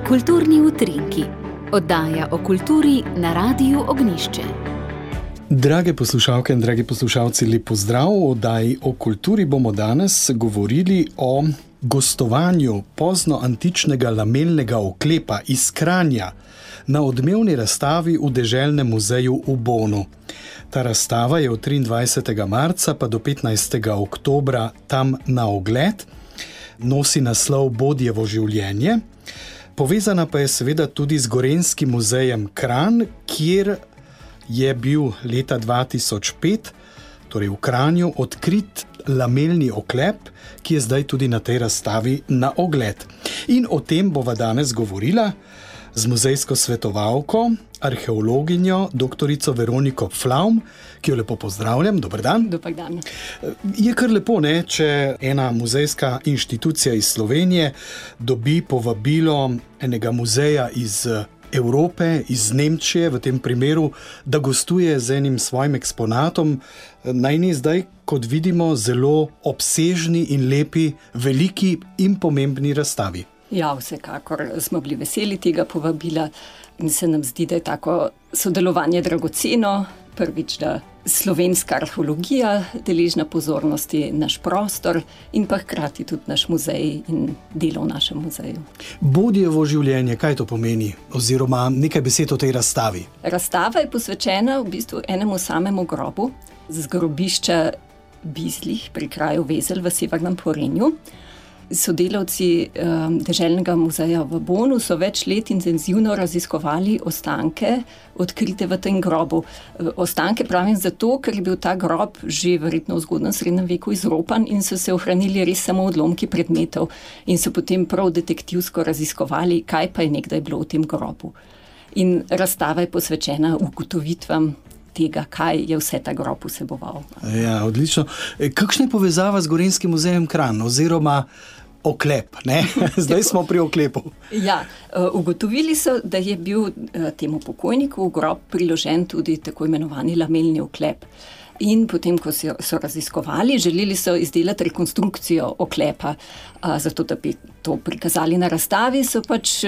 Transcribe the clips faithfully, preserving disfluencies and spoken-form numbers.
Kulturni utrinki. Oddaja o kulturi na Radiu Ognjišče. Drage poslušalke in dragi poslušalci, lep pozdrav. V oddaji o kulturi bomo danes govorili o gostovanju poznoantičnega lamelnega oklepa iz Kranja na odmevni razstavi v Deželnem muzeju v Bonu. Ta razstava je od triindvajsetega marca pa do petnajstega oktobra tam na ogled. Nosi naslov Bodjevo življenje. Povezana pa je seveda tudi z Gorenjskim muzejem Kranj, kjer je bil leta dva tisoč pet, torej v Kranju, odkrit lamelni oklep, ki je zdaj tudi na tej razstavi na ogled. In o tem bova danes govorila z muzejsko svetovalko, arheologinjo, doktorico Veroniko Pflaum, ki jo lepo pozdravljam. Dober dan. Dober dan. Je kar lepo, ne, če ena muzejska inštitucija iz Slovenije dobi povabilo enega muzeja iz Evrope, iz Nemčije, v tem primeru, da gostuje z enim svojim eksponatom, najni zdaj, kot vidimo, zelo obsežni in lepi, veliki in pomembni razstavi. Ja, vsekakor smo bili veseli tega povabila in se nam zdi, da je tako sodelovanje dragoceno. Prvič, da slovenska arheologija deležna pozornosti, naš prostor in pa hkrati tudi naš muzej in delo v našem muzeju. Bodjevo življenje, kaj to pomeni? Oziroma nekaj besed o tej razstavi. Razstava je posvečena v bistvu enemu samemu grobu z grobišča Bizlih pri kraju Vezelj v Severnem Porenju. Sodelavci um, Deželnega muzeja v Bonu so več let intenzivno raziskovali ostanke, odkrite v tem grobu. Ostanke pravim zato, ker je bil ta grob že verjetno v zgodnjem srednjem veku izropan in so se ohranili res samo odlomki predmetov in so potem prav detektivsko raziskovali, kaj pa je nekdaj bilo v tem grobu. In razstava je posvečena ugotovitvam tega, kaj je vse ta grob vseboval. Ja, odlično. Kakšna je povezava z Gorenjskim muzejem Kranj oziroma oklep, ne? Zdaj smo pri oklepu. Ja, ugotovili so, da je bil temu pokojniku v grob priložen tudi tako imenovani lamelni oklep. In potem, ko so, so raziskovali, želeli so izdelati rekonstrukcijo oklepa, zato da bi to prikazali na razstavi, so pač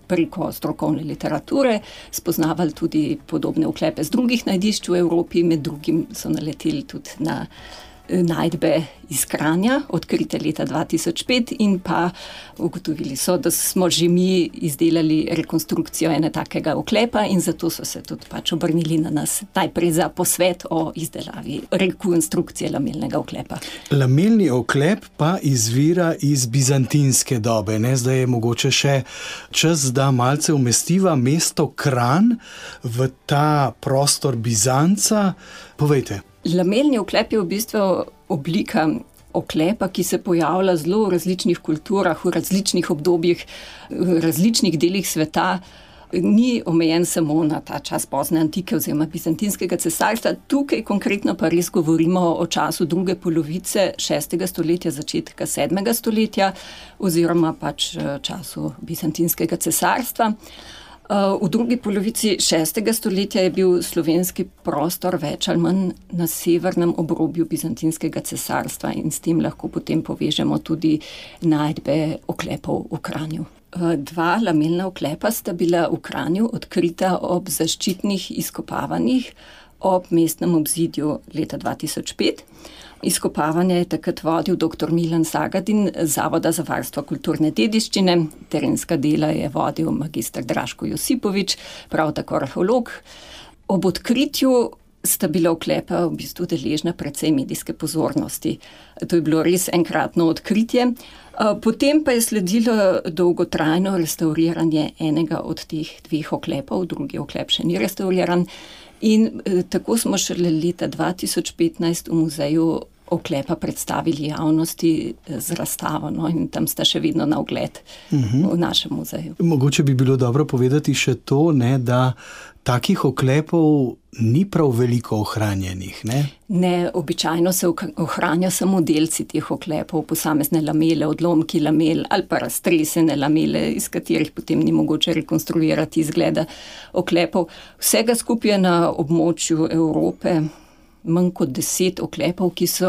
preko strokovne literature spoznavali tudi podobne oklepe z drugih najdišč v Evropi, med drugim so naleteli tudi na najdbe iz Kranja, odkrite leta dva tisoč pet in pa ugotovili so, da smo že mi izdelali rekonstrukcijo ene takega oklepa in zato so se tudi pač obrnili na nas najprej za posvet o izdelavi rekonstrukcije lamelnega oklepa. Lamelni oklep pa izvira iz bizantinske dobe, ne? Zdaj je mogoče še čas, da malce umestiva mesto Kranj v ta prostor Bizanca. Povejte. Lamelni oklep je v bistvu oblika oklepa, ki se pojavlja zelo v različnih kulturah, v različnih obdobjih, v različnih delih sveta. Ni omejen samo na ta čas pozne antike oziroma bizantinskega cesarstva. Tukaj konkretno pa res govorimo o času druge polovice šestega stoletja, začetka sedmega stoletja oziroma pač času bizantinskega cesarstva. V drugi polovici šestega stoletja je bil slovenski prostor več ali manj na severnem obrobju bizantinskega cesarstva in s tem lahko potem povežemo tudi najdbe oklepov v Kranju. Dva lamelna oklepa sta bila v Kranju odkrita ob zaščitnih izkopavanjih ob mestnem obzidju leta dva tisoč pet. Izkopavanje je takrat vodil doktor Milan Zagadin z Zavoda za varstvo kulturne dediščine, terenska dela je vodil magister Draško Josipovič, prav tako arheolog. Ob odkritju sta bila oklepa v bistvu deležna precej medijske pozornosti. To je bilo res enkratno odkritje. Potem pa je sledilo dolgotrajno restauriranje enega od teh dveh oklepov, drugi oklep še ni restauriran. In tako smo šele leta dva tisoč petnajst v muzeju oklepa predstavili javnosti z razstavo, no, in tam sta še vedno na ogled uh-huh. v našem muzeju. Mogoče bi bilo dobro povedati še to, ne, da takih oklepov ni prav veliko ohranjenih, ne? Ne, običajno se ohranja samo delci teh oklepov, posamezne lamele, odlomki lamel ali pa raztresene lamele, iz katerih potem ni mogoče rekonstruirati izgleda oklepov. Vsega skupaj na območju Evrope manj kot deset oklepov, ki so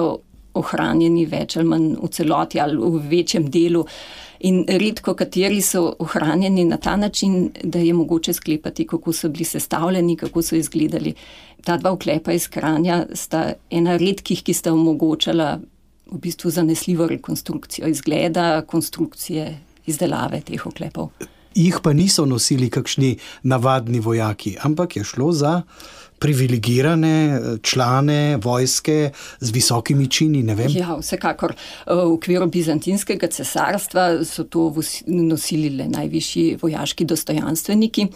ohranjeni več ali manj v celoti ali v večjem delu. In redko kateri so ohranjeni na ta način, da je mogoče sklepati, kako so bili sestavljeni, kako so izgledali. Ta dva oklepa iz Kranja sta ena redkih, ki sta omogočala v bistvu zanesljivo rekonstrukcijo izgleda, konstrukcije, izdelave teh oklepov. Jih pa niso nosili kakšni navadni vojaki, ampak je šlo za privilegirane člane vojske z visokimi čini, ne vem. Ja, vsekakor. V okviru bizantinskega cesarstva so to nosili le najvišji vojaški dostojanstveniki.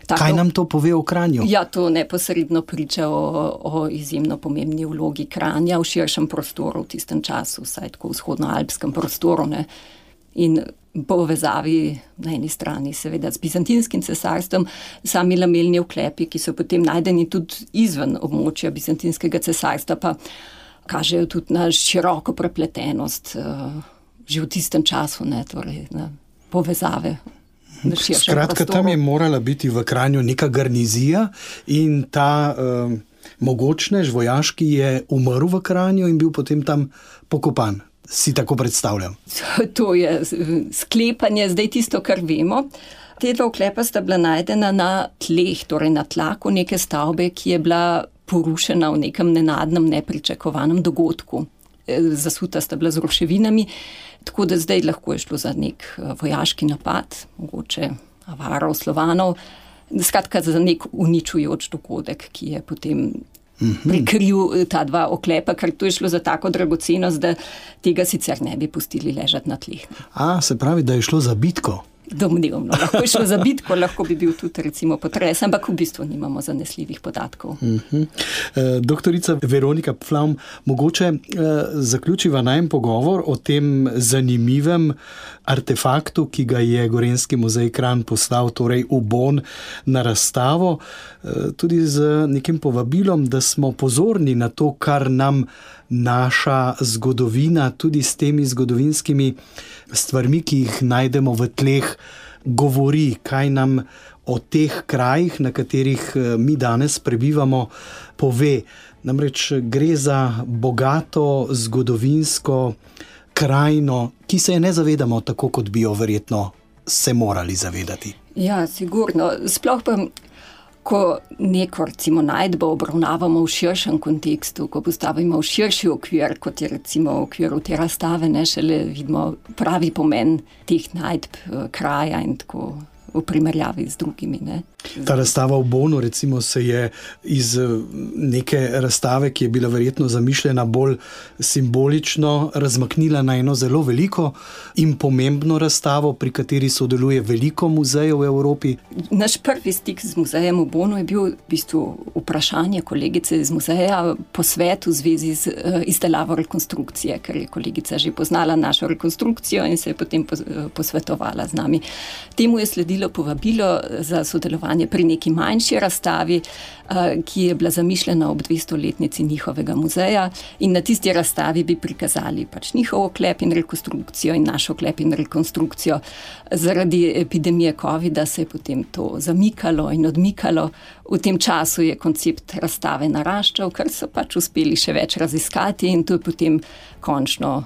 Tako, kaj nam to pove o Kranju? Ja, to neposredno priča o, o izjemno pomembni vlogi Kranja v širšem prostoru v tistem času, vsaj tako v vzhodnoalpskem prostoru, ne. In povezavi na eni strani seveda z bizantinskim cesarstvom, sami lamelni oklepi, ki so potem najdeni tudi izven območja bizantinskega cesarstva, pa kažejo tudi na široko prepletenost že v tistem času, ne, torej na povezave. Skratka, tam je morala biti v Kranju neka garnizija in ta uh, mogočnež vojaški je umrl v Kranju in bil potem tam pokopan. Si tako predstavljam? To je sklepanje, zdaj tisto, kar vemo. Te dva oklepa sta bila najdena na tleh, torej na tlaku neke stavbe, ki je bila porušena v nekem nenadnem, nepričakovanem dogodku. Zasuta sta bila z ruševinami, tako da zdaj lahko je šlo za nek vojaški napad, mogoče avarov, Slovanov, skratka za nek uničujoč dogodek, ki je potem prikril ta dva oklepa, ker to je šlo za tako dragocenost, da tega sicer ne bi pustili ležati na tleh. A, se pravi, da je šlo za bitko? Domnevno. Lahko je šlo za bitko, lahko bi bil tudi recimo potres, ampak v bistvu nimamo zanesljivih podatkov. Uh-huh. E, doktorica Veronika Pflaum, mogoče e, zaključiva najmen pogovor o tem zanimivem artefaktu, ki ga je Gorenjski muzej Kranj poslal, torej v Bonn na razstavo, e, tudi z nekim povabilom, da smo pozorni na to, kar nam naša zgodovina, tudi s temi zgodovinskimi stvarmi, ki jih najdemo v tleh, govori, kaj nam o teh krajih, na katerih mi danes prebivamo, pove. Namreč gre za bogato zgodovinsko krajino, ki se je ne zavedamo tako, kot bi jo verjetno se morali zavedati. Ja, sigurno. Sploh pa ko neko recimo najdbo obravnavamo v širšem kontekstu, ko postavimo v širši okvir, kot je recimo v okviru te razstave, ne, šele vidimo pravi pomen teh najdb kraja in tako v primerjavi z drugimi. Ne. Ta razstava v Bonnu recimo se je iz neke razstave, ki je bila verjetno zamišljena bolj simbolično, razmaknila na eno zelo veliko in pomembno razstavo, pri kateri sodeluje veliko muzejev v Evropi. Naš prvi stik z muzejem v Bonnu je bil v bistvu vprašanje kolegice iz muzeja, posvet v zvezi z izdelavo rekonstrukcije, ker je kolegica že poznala našo rekonstrukcijo in se je potem posvetovala z nami. Temu je sledilo povabilo za sodelovanje pri neki manjši razstavi, ki je bila zamišljena ob dvestoletnici njihovega muzeja in na tisti razstavi bi prikazali pač njihov oklep in rekonstrukcijo in naš oklep in rekonstrukcijo. Zaradi epidemije covida se je potem to zamikalo in odmikalo. V tem času je koncept razstave naraščal, ker so pač uspeli še več raziskati in to je potem končno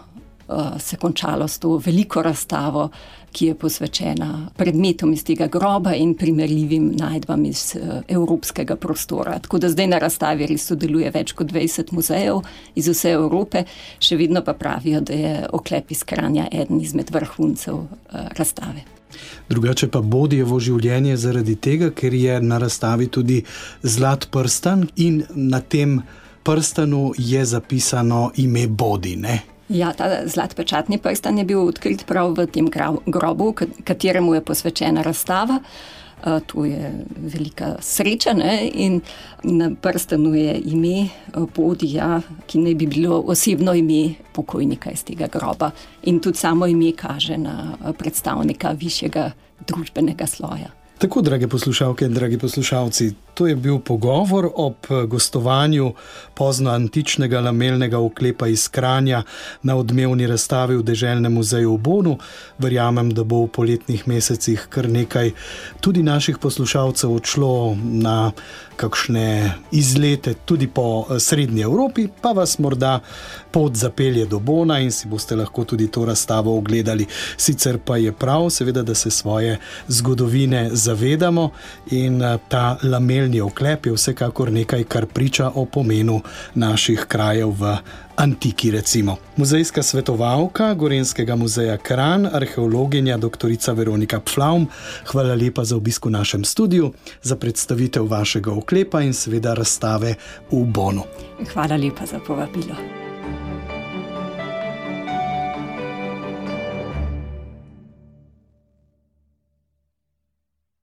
uh, se končalo s to veliko razstavo, ki je posvečena predmetom iz tega groba in primerljivim najdbam iz uh, evropskega prostora. Tako da zdaj na razstavi res sodeluje več kot dvajset muzejev iz vse Evrope, še vedno pa pravijo, da je oklep iz Kranja eden izmed vrhuncev uh, razstave. Drugače pa Bodijevo življenje zaradi tega, ker je na razstavi tudi zlat prstan in na tem prstanu je zapisano ime Bodi, ne? Ja, ta zlat pečatni prstan je bil odkrit prav v tem grobu, kateremu je posvečena razstava. To je velika sreča, ne? In na prstanu je ime Bodija, ki naj bi bilo osebno ime pokojnika iz tega groba. In tudi samo ime kaže na predstavnika višjega družbenega sloja. Tako, drage poslušalke in dragi poslušalci, to je bil pogovor ob gostovanju poznoantičnega lamelnega oklepa iz Kranja na odmevni razstavi v Deželnem muzeju v Bonu. Verjamem, da bo v poletnih mesecih kar nekaj tudi naših poslušalcev odšlo na kakšne izlete tudi po srednji Evropi, pa vas morda pot zapelje do Bona in si boste lahko tudi to razstavo ogledali. Sicer pa je prav, seveda, da se svoje zgodovine zavedamo in ta lamelni oklep je vsekakor nekaj, kar priča o pomenu naših krajev v antiki, recimo. Muzejska svetovalka Gorenjskega muzeja Kranj, arheologinja doktorica Veronika Pflaum, hvala lepa za obisk v našem studiu, za predstavitev vašega oklepa in seveda razstave v Bonu. Hvala lepa za povabilo.